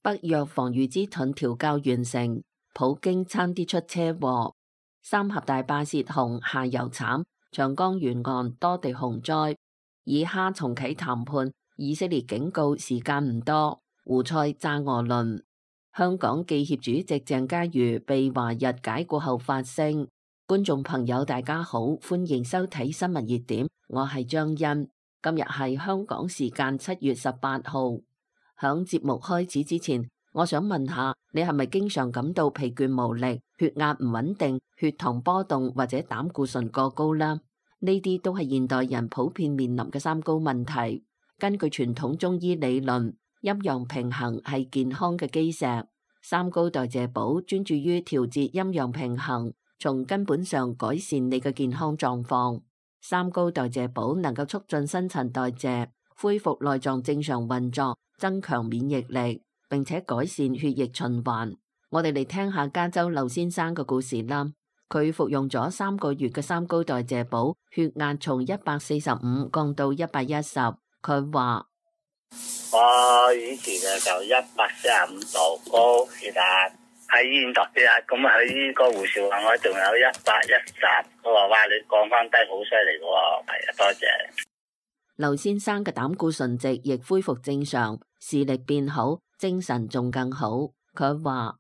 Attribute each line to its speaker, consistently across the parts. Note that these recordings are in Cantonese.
Speaker 1: 北約防禦之盾調校完成，普京差啲出車禍。三峽大壩洩洪下游慘，長江沿岸多地洪災。以哈重啟談判，以色列警告時間唔多。胡塞炸俄輪。香港記協主席鄭家瑜被華日解僱後發聲。觀眾朋友大家好，歡迎收睇新聞熱點，我係張欣。今日係香港時間7月18號。響節目開始之前，我想問下你係咪經常感到疲倦無力、血壓唔穩定、血糖波動或者膽固醇過高啦？呢啲都係現代人普遍面臨嘅三高問題。根據傳統中醫理論，陰陽平衡係健康嘅基石。三高代謝寶專注於調節陰陽平衡，從根本上改善你嘅健康狀況。三高代謝寶能夠促進新陳代謝，恢復內臟正常運作，增強免疫力，並且改善血液循環。我哋嚟聽下加州劉先生嘅故事啦。佢服用咗3個月嘅三高代謝寶，血壓從145降到110。佢話：
Speaker 2: 我以前就145度高血壓，喺醫院度血壓，咁喺個護士話我仲有110，佢話哇，你降翻低好犀利嘅喎，係啊，多謝。
Speaker 1: 劉先生嘅膽固醇值亦恢復正常，視力變好，精神仲更好。佢話：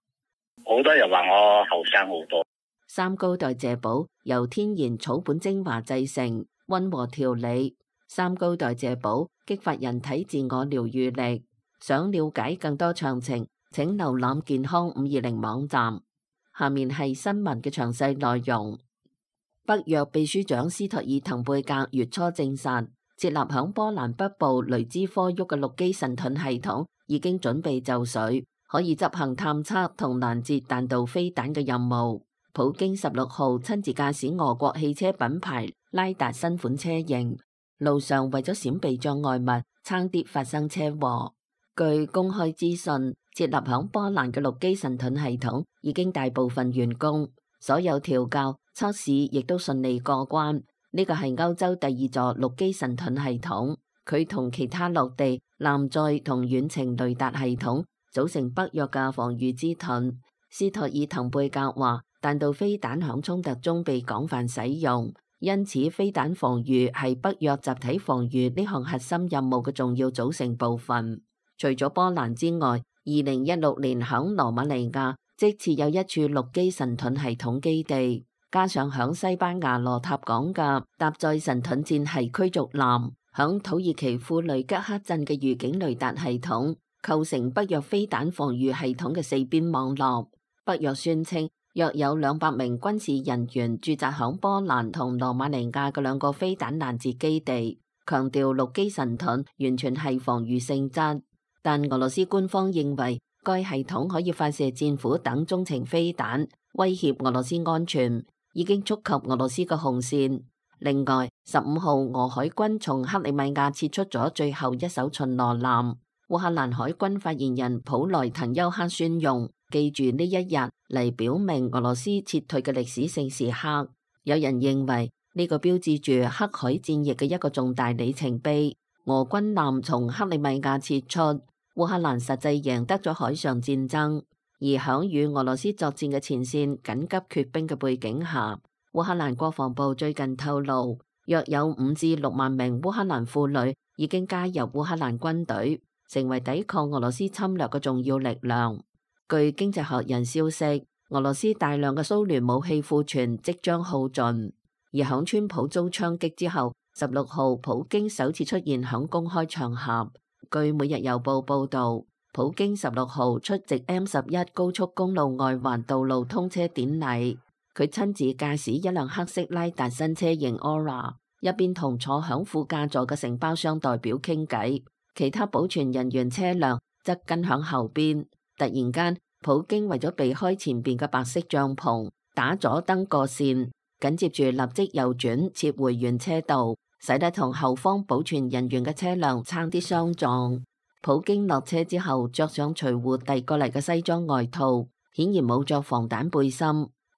Speaker 2: 好多人話我後生好多。
Speaker 1: 三高代謝寶由天然草本精華製成，溫和調理。三高代謝寶激發人體自我療愈力。想了解更多詳情，請瀏覽健康520網站。下面係新聞嘅詳細內容。北約秘書長斯托爾滕貝格月初證實，設立響波蘭北部雷茲科沃嘅陸基神盾系統已經準備就緒，可以執行探測同攔截彈道飛彈嘅任務。普京16號親自駕駛俄國汽車品牌拉達新款車型，路上為咗閃避障礙物，差啲發生車禍。據公開資訊，設立響波蘭嘅陸基神盾系統已經大部分完工，所有調校測試亦都順利過關。呢個係歐洲第2座陸基神盾系統，佢同其他陸地、艦載同遠程雷達系統組成北約嘅防禦之盾。斯托爾滕貝格話，彈道飛彈響衝突中被廣泛使用，因此飛彈防禦係北約集體防禦呢項核心任務嘅重要組成部分。除咗波蘭之外，2016年響羅馬尼亞即設有一處陸基神盾系統基地。加上響西班牙羅塔港嘅搭載神盾戰系驅逐艦，響土耳其庫雷吉克鎮嘅預警雷達系統，構成北約飛彈防禦系統嘅四邊網絡。北約宣稱約有200名軍事人員駐紮響波蘭同羅馬尼亞嘅2個飛彈攔截基地，強調陸基神盾完全係防禦性質。但俄羅斯官方認為該系統可以發射戰斧等中程飛彈，威脅俄羅斯安全，已經觸及俄羅斯嘅紅線。另外，15號俄海軍從克里米亞撤出咗最後一艘巡邏艦。烏克蘭海軍發言人普萊滕丘克宣用記住呢一日嚟表明俄羅斯撤退嘅歷史性時刻。有人認為呢個標誌住黑海戰役嘅一個重大里程碑。俄軍艦從克里米亞撤出，烏克蘭實際贏得咗海上戰爭。而響與俄羅斯作戰嘅前線緊急缺兵嘅背景下，烏克蘭國防部最近透露，約有5至6萬名烏克蘭婦女已經加入烏克蘭軍隊，成為抵抗俄羅斯侵略嘅重要力量。據經濟學人消息，俄羅斯大量嘅蘇聯武器庫存即將耗盡。而響川普遭槍擊之後，16號普京首次出現響公開場合。據每日郵報報道，普京16號出席 M11 高速公路外環道路通車典禮，佢親自駕駛一輛黑色拉達新車型 Aura， 一邊同坐響副駕座嘅承包商代表傾偈，其他保全人員車輛則跟響後邊。突然間，普京為咗避開前邊嘅白色帳篷，打左燈過線，緊接住立即右轉撤回原車道，使得同後方保全人員嘅車輛差啲相撞。普京落車之後，着上隨扈遞過嚟嘅西裝外套，顯然冇着防彈背心。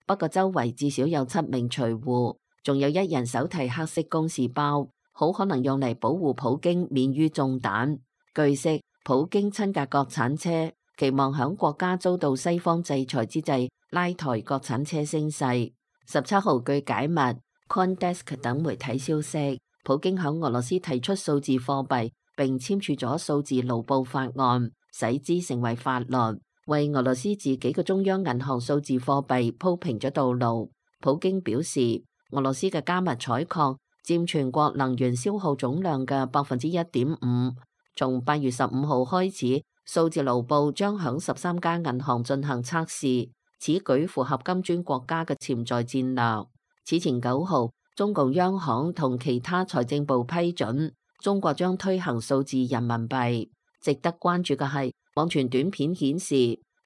Speaker 1: 不過周圍至少有7名隨扈，仲有1人手提黑色公事包，好可能用嚟保護普京免於中彈。據悉，普京親駕國產車期望響國家遭到西方制裁之際拉抬國產車聲勢。17號據解密 CoinDesk 等媒體消息，普京響俄羅斯提出數字貨幣並簽署咗數字盧布法案，使之成為法律，為俄羅斯自己嘅中央銀行數字貨幣鋪平咗道路。普京表示，俄羅斯嘅加密採礦佔全國能源消耗總量嘅1.5%。從8月15號開始，數字盧布將響13家銀行進行測試，此舉符合金磚國家嘅潛在戰略。此前9號，中共央行同其他財政部批准中國將推行數字人民幣。值得關注嘅係，網傳短片顯示，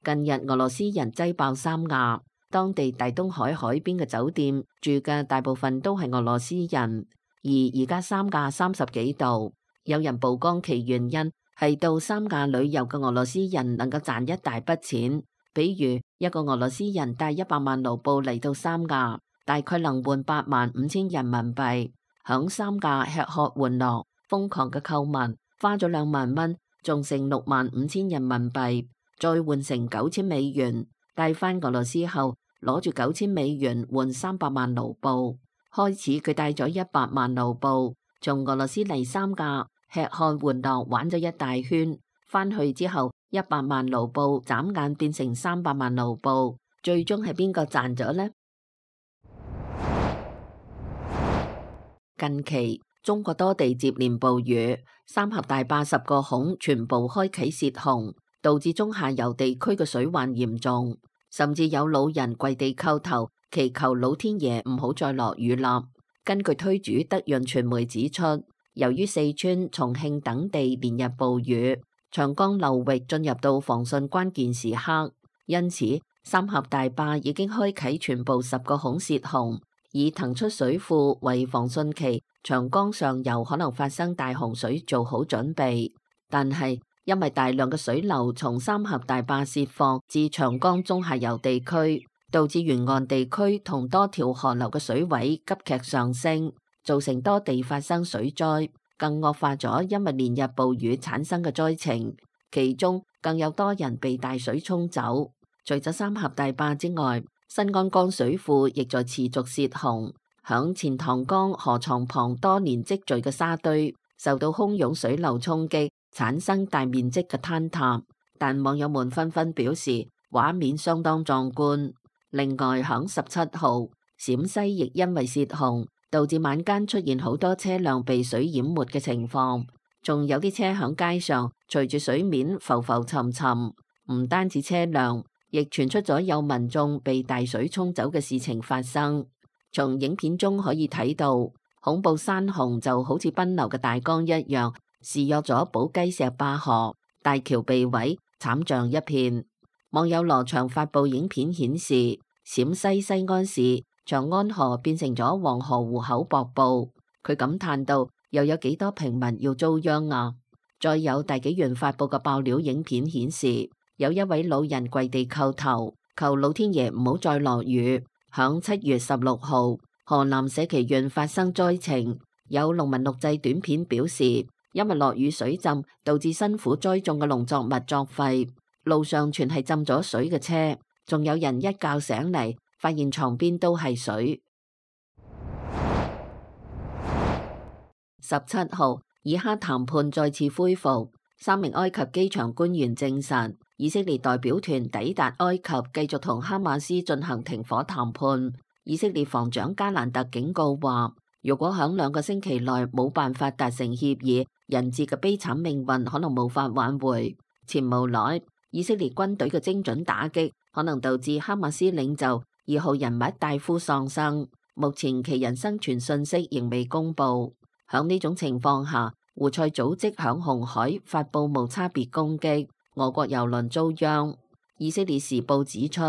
Speaker 1: 近日俄羅斯人擠爆三亞，當地大東海海邊嘅酒店住嘅大部分都係俄羅斯人，而家三亞30幾度。有人曝光其原因係到三亞旅遊嘅俄羅斯人能夠賺一大筆錢，比如一個俄羅斯人帶100萬盧布嚟到三亞，大概能換85000人民幣，響三亞吃喝玩樂，瘋狂嘅購物，花咗2萬蚊，仲剩65000人民幣，再換成9000美元，帶返俄羅斯後攞住9000美元換300萬盧布。開始佢帶咗100萬盧布，從俄羅斯嚟三亞吃喝玩樂玩咗一大圈，返去之後100萬盧布眨眼變成300萬盧布，最終係邊個賺咗呢？近期中國多地接連暴雨，三峽大壩10個孔全部開啟泄洪，導致中下游地區嘅水患嚴重，甚至有老人跪地叩頭祈求老天爺唔好再落雨啦。根據推主德潤傳媒指出，由於四川、重慶等地連日暴雨，長江流域進入到防汛關鍵時刻，因此三峽大壩已經開啟全部10個孔泄洪，以騰出水庫為防汛期長江上游可能發生大洪水做好準備。但係因為大量嘅水流從三峽大壩泄放至長江中下游地區，導致沿岸地區同多條河流嘅水位急劇上升，造成多地發生水災，更惡化咗因為連日暴雨產生嘅災情，其中更有多人被大水沖走。除咗三峽大壩之外，新安江水庫亦在持續泄洪，響錢塘江河床旁多年積聚嘅沙堆受到洶湧水流衝擊，產生大面積嘅坍塌，但網友們紛紛表示畫面相當壯觀。另外響17號，陝西亦因為泄洪，導致晚間出現好多車輛被水淹沒嘅情況，仲有啲車響街上隨住水面浮浮沉沉。唔單止車輛，亦傳出咗有民眾被大水沖走嘅事情發生。從影片中可以睇到，恐怖山洪就好似奔流嘅大江一樣，肆虐咗寶雞石壩河，大橋被毀，慘象一片。網友羅翔發布影片顯示，陝西西安市長安河變成咗黃河湖口瀑布，佢感嘆到又有幾多平民要遭殃啊！再有大紀元發布嘅爆料影片顯示，有一位老人跪地叩頭，求老天爺唔好再落雨。響7月16號，河南社旗縣發生災情，有農民錄製短片表示，因為落雨水浸，導致辛苦栽種嘅農作物作廢，路上全係浸咗水嘅車，仲有人一覺醒嚟，發現床邊都係水。17號，以哈談判再次恢復，3名埃及機場官員證實，以色列代表團抵達埃及，繼續同哈馬斯進行停火談判。以色列防長加蘭特警告話，如果響2個星期內冇辦法達成協議，人質嘅悲慘命運可能無法挽回。前無來，以色列軍隊嘅精準打擊可能導致哈馬斯領袖2號人物戴夫喪生，目前其人生存信息仍未公布。響呢種情況下，胡塞組織響紅海發布無差別攻擊，俄國油輪遭殃。以色列時報指出，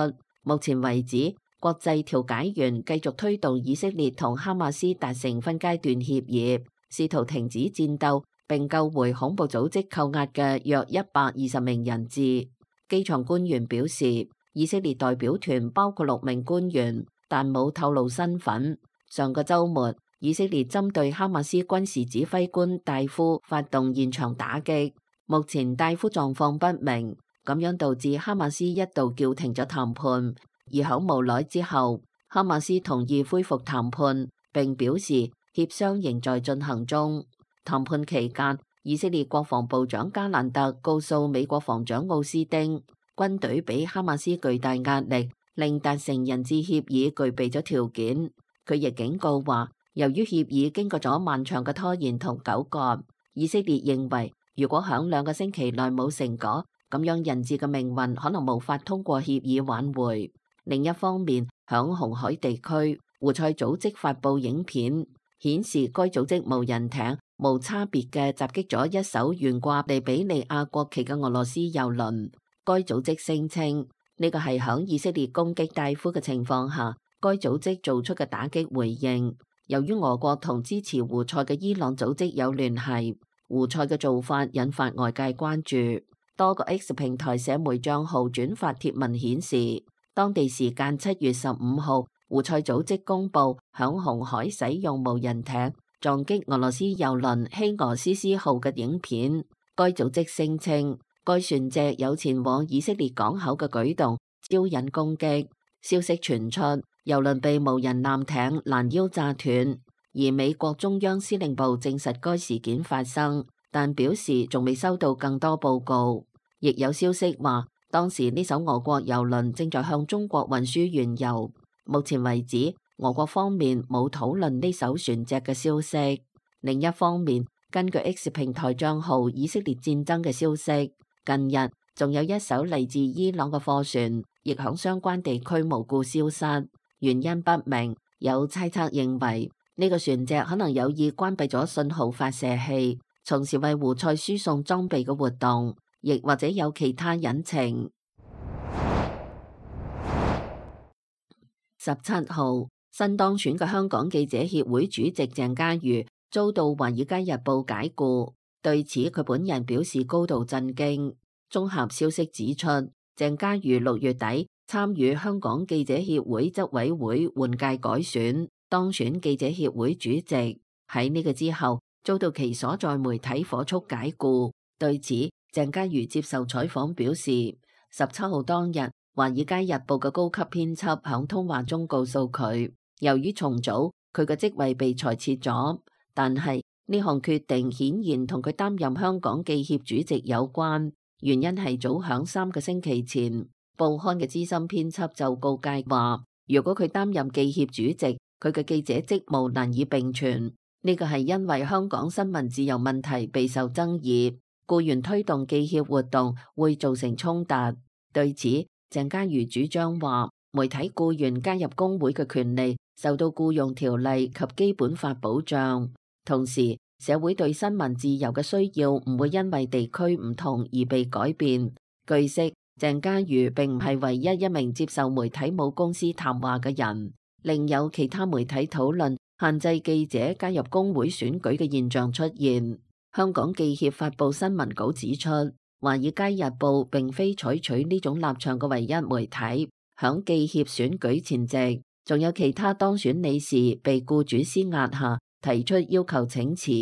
Speaker 1: 目前為止，國際調解員繼續推動以色列同哈馬斯達成分階段協議，試圖停止戰鬥並救回恐怖組織扣押嘅約120名人質。機場官員表示，以色列代表團包括6名官員，但冇透露身份。上個週末，以色列針對哈馬斯軍事指揮官戴夫發動現場打擊，目前戴夫狀況不明。咁樣導致哈馬斯一度叫停咗談判。而響無奈之後，哈馬斯同意恢復談判，並表示協商仍在進行中。談判期間，以色列國防部長加蘭特告訴美國防長奧斯丁，軍隊俾哈馬斯巨大壓力，令達成人質協議具備咗條件。佢亦警告話，由於協議經過咗漫長嘅拖延同糾葛，以色列認為如果響2個星期內冇成果，咁樣人質嘅命運可能無法通過協議挽回。另一方面，響紅海地區，胡塞組織發布影片，顯示該組織無人艇無差別嘅襲擊咗一艘懸掛利比里亞國旗嘅俄羅斯郵輪。該組織聲稱呢個係響以色列攻擊大夫嘅情況下，該組織做出嘅打擊回應。由於俄國同支持胡塞嘅伊朗組織有聯繫，胡塞嘅做法引發外界關注。多個 X 平台社媒賬號轉發貼文顯示，當地時間7月15號，胡塞組織公佈響紅海使用無人艇撞擊俄羅斯郵輪希俄斯斯號嘅影片。該組織聲稱，該船隻有前往以色列港口嘅舉動，招引攻擊。消息傳出，郵輪被無人艦艇攔腰炸斷，而美國中央司令部證實該事件發生，但表示仲未收到更多報告。亦有消息話，當時呢艘俄國郵輪正在向中國運輸原油。目前為止，俄國方面冇討論呢艘船隻嘅消息。另一方面，根據 X 平台賬號以色列戰爭嘅消息，近日仲有一艘嚟自伊朗嘅貨船亦響相關地區無故消失，原因不明。有猜測認為呢個船隻可能有意關閉咗信號發射器，從事為胡塞輸送裝備嘅活動，亦或者有其他隱情。17號，新當選嘅香港記者協會主席鄭家瑜遭到《華爾街日報》解僱，對此佢本人表示高度震驚。綜合消息指出，鄭家瑜6月底參與香港記者協會執委會換屆改選，當選記者協會主席。喺呢個之後，遭到其所在媒體火速解僱。對此，鄭家瑜接受採訪表示，17號當日，《華爾街日報》嘅高級編輯響通話中告訴佢，由於重組，佢嘅職位被裁撤咗，但係呢項決定顯然同佢擔任香港記協主席有關。原因係早響3個星期前，報刊嘅資深編輯就告誡話，如果佢擔任記協主席，佢嘅記者職務難以並存。呢個係因為香港新聞自由問題備受爭議，僱員推動記協活動會造成衝突。對此，鄭家瑜主張話，媒體僱員加入工會嘅權利受到僱傭條例及基本法保障，同時社會對新聞自由嘅需要唔會因為地區唔同而被改變。據悉，鄭家瑜並唔係唯一一名接受媒體母公司談話嘅人，另有其他媒體討論限制記者加入工會選舉嘅現象出現。香港記協發布新聞稿指出，《華爾街日報》並非採取呢種立場嘅唯一媒體。響記協選舉前夕，仲有其他當選理事被僱主施壓下提出要求請辭。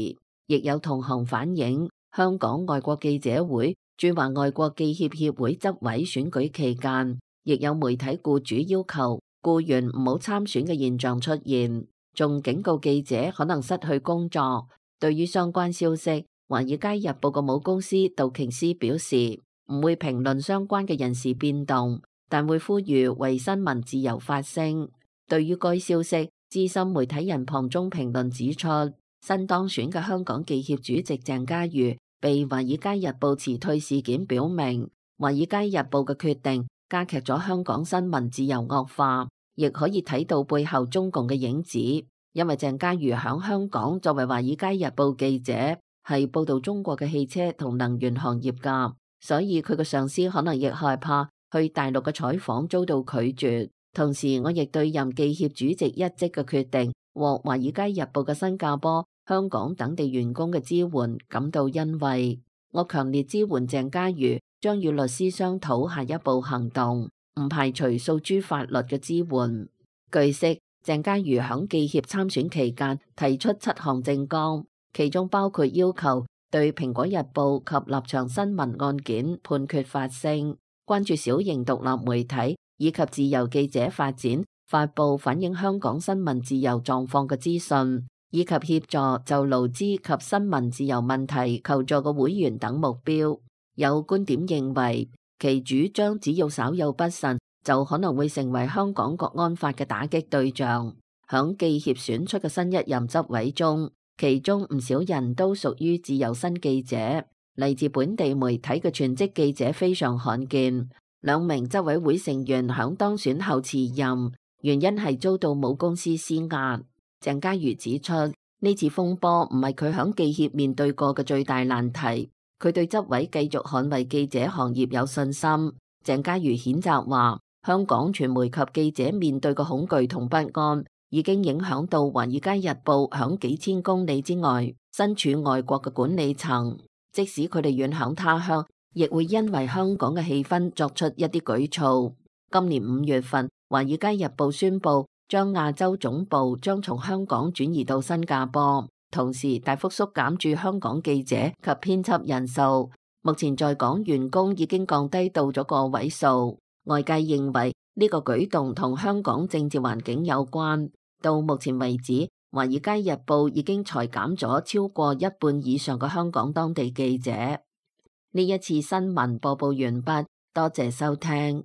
Speaker 1: 亦有同行反映，香港外國記者會駐華外國記協協會執委選舉期間，亦有媒體僱主要求僱員唔好參選嘅現象出現，仲警告記者可能失去工作。對於相關消息，《華爾街日報》嘅母公司道瓊斯表示唔會評論相關嘅人事變動，但會呼籲為新聞自由發聲。對於該消息，資深媒體人龐中評論指出，新當選嘅香港記協主席鄭家瑜被《華爾街日報》辭退事件表明，《華爾街日報》嘅決定加劇咗香港新聞自由惡化，亦可以睇到背後中共嘅影子。因為鄭家瑜響香港作為《華爾街日報》記者，係報道中國嘅汽車同能源行業噶，所以佢嘅上司可能亦害怕去大陸嘅採訪遭到拒絕。同時，我亦對任記協主席一職嘅決定獲《華爾街日報》嘅新加坡、香港等地員工嘅支援感到欣慰。我強烈支援鄭家瑜，將與律師商討下一步行動，唔排除訴諸法律嘅支援。據悉，鄭家瑜響記協參選期間提出7項政綱，其中包括要求對蘋果日報及立場新聞案件判決發聲，關注小型獨立媒體以及自由記者發展，發布反映香港新聞自由狀況嘅資訊，以及協助就勞資及新聞自由問題求助嘅會員等目標。有觀點認為，其主張只要稍有不慎，就可能會成為香港國安法嘅打擊對象。響記協選出嘅新一任執委中，其中唔少人都屬於自由新記者，嚟自本地媒體嘅全職記者非常罕見。兩名執委會成員響當選後辭任，原因係遭到母公司施壓。鄭家瑜指出，呢次風波唔係佢響記協面對過嘅最大難題，佢對執委繼續捍衛記者行業有信心。鄭家瑜譴責話，香港傳媒及記者面對嘅恐懼同不安，已經影響到《華爾街日報》響幾千公里之外，身處外國嘅管理層。即使佢哋遠響他鄉，亦會因為香港嘅氣氛作出一啲舉措。今年5月份，《華爾街日報》宣布將亞洲總部將從香港轉移到新加坡，同時大幅縮減駐香港記者及編輯人數。目前在港員工已經降低到咗個位數。外界認為呢個舉動同香港政治環境有關。到目前為止，《華爾街日報》已經裁減咗超過一半以上嘅香港當地記者。呢一次新聞播報完畢，多謝收聽。